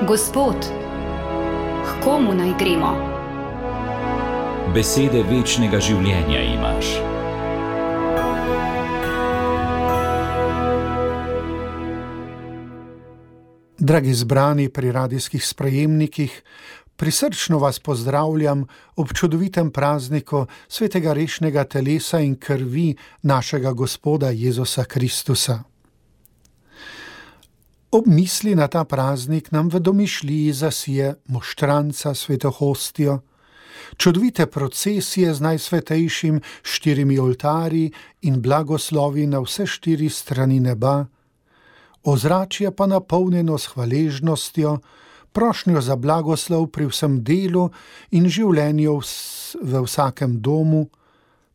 Gospod, k komu naj gremo? Besede večnega življenja imaš. Dragi zbrani pri radijskih sprejemnikih, prisrčno vas pozdravljam ob čudovitem prazniku svetega rešnega telesa in krvi našega Gospoda Jezusa Kristusa. Ob misli na ta praznik nam v domišljiji zasije moštranca sveto hostijo, čudovite procesije z najsvetejšim 4 oltarji in blagoslovi na vse 4 strani neba, ozračje pa napolnjeno s hvaležnostjo, prošnjo za blagoslov pri vsem delu in življenju v vsakem domu,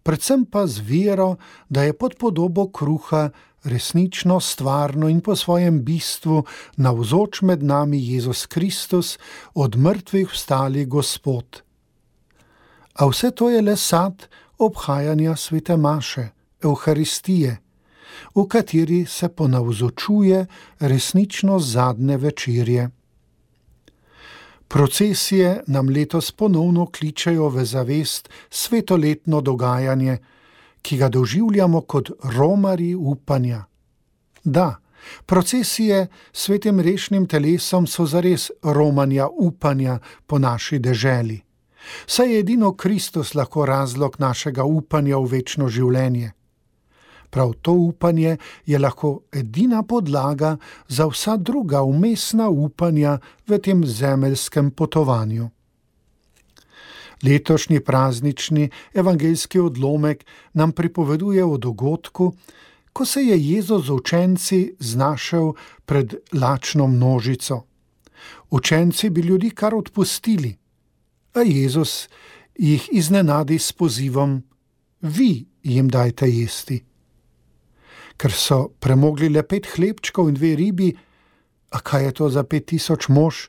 predvsem pa z vero, da je pod podobo kruha resnično, stvarno in po svojem bistvu navzoč med nami Jezus Kristus, od mrtvih vstali Gospod. A vse to je le sad obhajanja svete maše, Evharistije, v kateri se ponavzočuje resnično zadnje večerje. Procesije nam letos ponovno kličejo v zavest svetoletno dogajanje, ki ga doživljamo kot romarji upanja. Da, procesije s svetim rešnim telesom so zares romanja upanja po naši deželi. Saj je edino Kristus lahko razlog našega upanja v večno življenje. Prav to upanje je lahko edina podlaga za vsa druga vmesna upanja v tem zemeljskem potovanju. Letošnji praznični evangeljski odlomek nam pripoveduje o dogodku, ko se je Jezus z učenci znašel pred lačno množico. Učenci bi ljudi kar odpustili, a Jezus jih iznenadi s pozivom: vi jim dajte jesti. Ker so premogli le 5 hlebčkov in 2 ribi, a kaj je to za 5000 mož,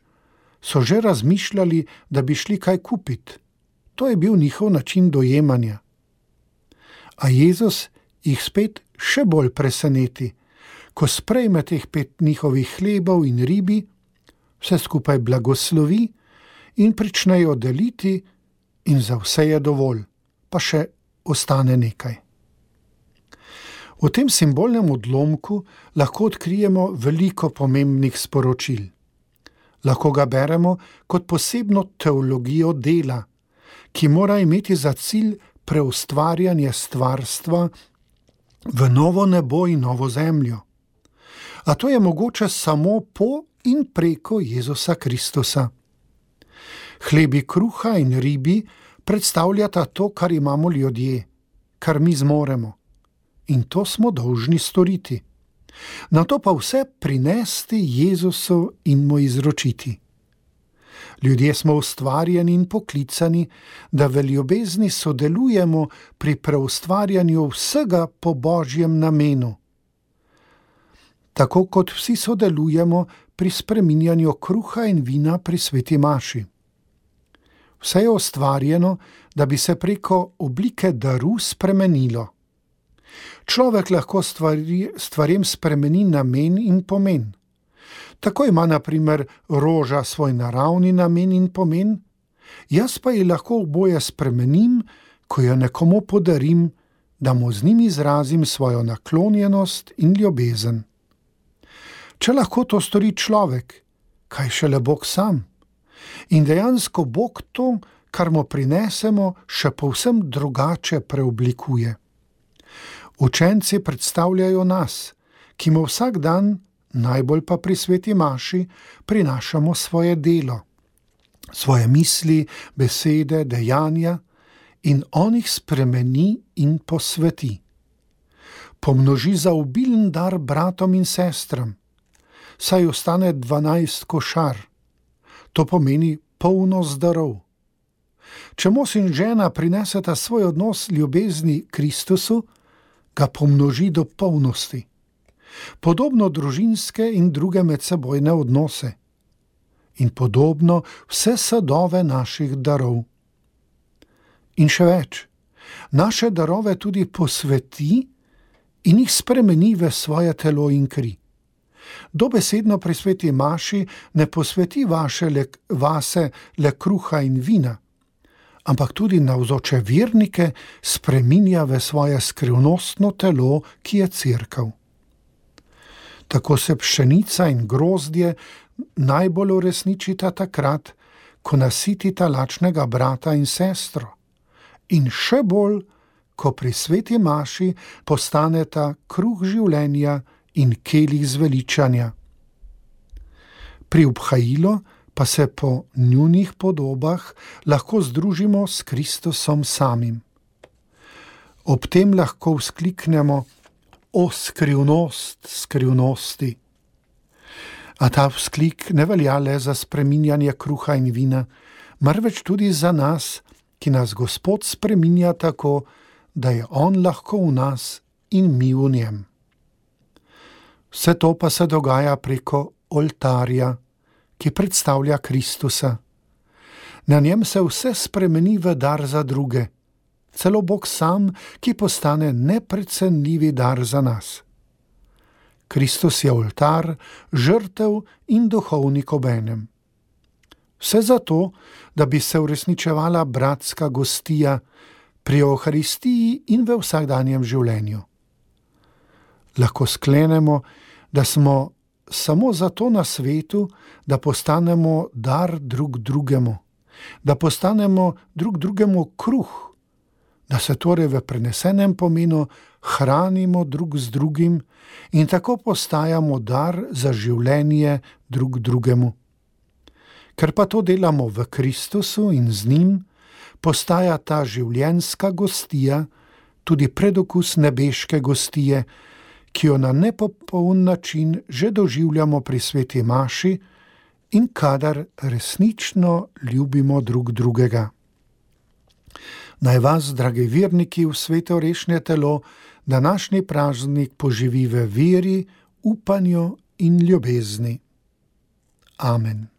so že razmišljali, da bi šli kaj kupiti. To je bil njihov način dojemanja. A Jezus jih spet še bolj preseneti, ko sprejme teh 5 njihovih hlebov in ribi, vse skupaj blagoslovi in pričnejo deliti in za vse je dovolj, pa še ostane nekaj. V tem simbolnem odlomku lahko odkrijemo veliko pomembnih sporočil. Lahko ga beremo kot posebno teologijo dela, ki mora imeti za cilj preustvarjanje stvarstva v novo nebo in novo zemljo. A to je mogoče samo po in preko Jezusa Kristusa. Hlebi kruha in ribi predstavljata to, kar imamo ljudje, kar mi zmoremo. In to smo dolžni storiti. Nato pa vse prinesti Jezusu in mu izročiti. Ljudje smo ustvarjeni in poklicani, da v ljubezni sodelujemo pri preustvarjanju vsega po Božjem namenu. Tako kot vsi sodelujemo pri spreminjanju kruha in vina pri sveti maši. Vse je ustvarjeno, da bi se preko oblike daru spremenilo. Človek lahko stvarem spremeni namen in pomen. Tako ima na primer roža svoj naravni namen in pomen, jaz pa ji lahko oboje spremenim, ko jo nekomu podarim, da mu z njim izrazim svojo naklonjenost in ljubezen. Če lahko to stori človek, kaj šele Bog sam? In dejansko Bog to, kar mu prinesemo, še povsem drugače preoblikuje. Učenci predstavljajo nas, ki mu vsak dan, najbolj pa pri sveti maši, prinašamo svoje delo, svoje misli, besede, dejanja in on jih spremeni in posveti. Pomnoži za obilen dar bratom in sestram, saj ostane 12 košar. To pomeni polnost darov. Če mož in žena prineseta svoj odnos ljubezni Kristusu, ga pomnoži do polnosti. Podobno družinske in druge medsebojne odnose. In podobno vse sadove naših darov. In še več, naše darove tudi posveti in jih spremeni v svoje telo in kri. Dobesedno pri sveti maši ne posveti vase le kruha in vina, ampak tudi navzoče vernike spreminja v svoje skrivnostno telo, ki je cerkev. Tako se pšenica in grozdje najbolj uresničita takrat, ko nasitita lačnega brata in sestro, in še bolj, ko pri sveti maši postaneta kruh življenja in kelih zveličanja. Pri obhajilu pa se po njunih podobah lahko združimo s Kristusom samim. Ob tem lahko vzkliknemo: O skrivnost skrivnosti! A ta vzklik ne velja le za spreminjanje kruha in vina, marveč tudi za nas, ki nas Gospod spreminja tako, da je On lahko v nas in mi v njem. Vse to pa se dogaja preko oltarja, ki predstavlja Kristusa. Na njem se vse spremeni v dar za druge, celo Bog sam, ki postane neprecenljivi dar za nas. Kristus je oltar, žrtev in duhovnik obenem. Vse zato, da bi se uresničevala bratska gostija pri Euharistiji in v vsakdanjem življenju. Lahko sklenemo, da smo samo zato na svetu, da postanemo dar drug drugemu, da postanemo drug drugemu kruh, da se torej v prenesenem pomenu hranimo drug z drugim in tako postajamo dar za življenje drug drugemu. Ker pa to delamo v Kristusu in z njim, postaja ta življenjska gostija tudi predokus nebeške gostije, ki jo na nepopoln način že doživljamo pri sveti maši in kadar resnično ljubimo drug drugega. Naj vas, dragi verniki, v sveto rešnje telo, današnji praznik poživi v veri, upanju in ljubezni. Amen.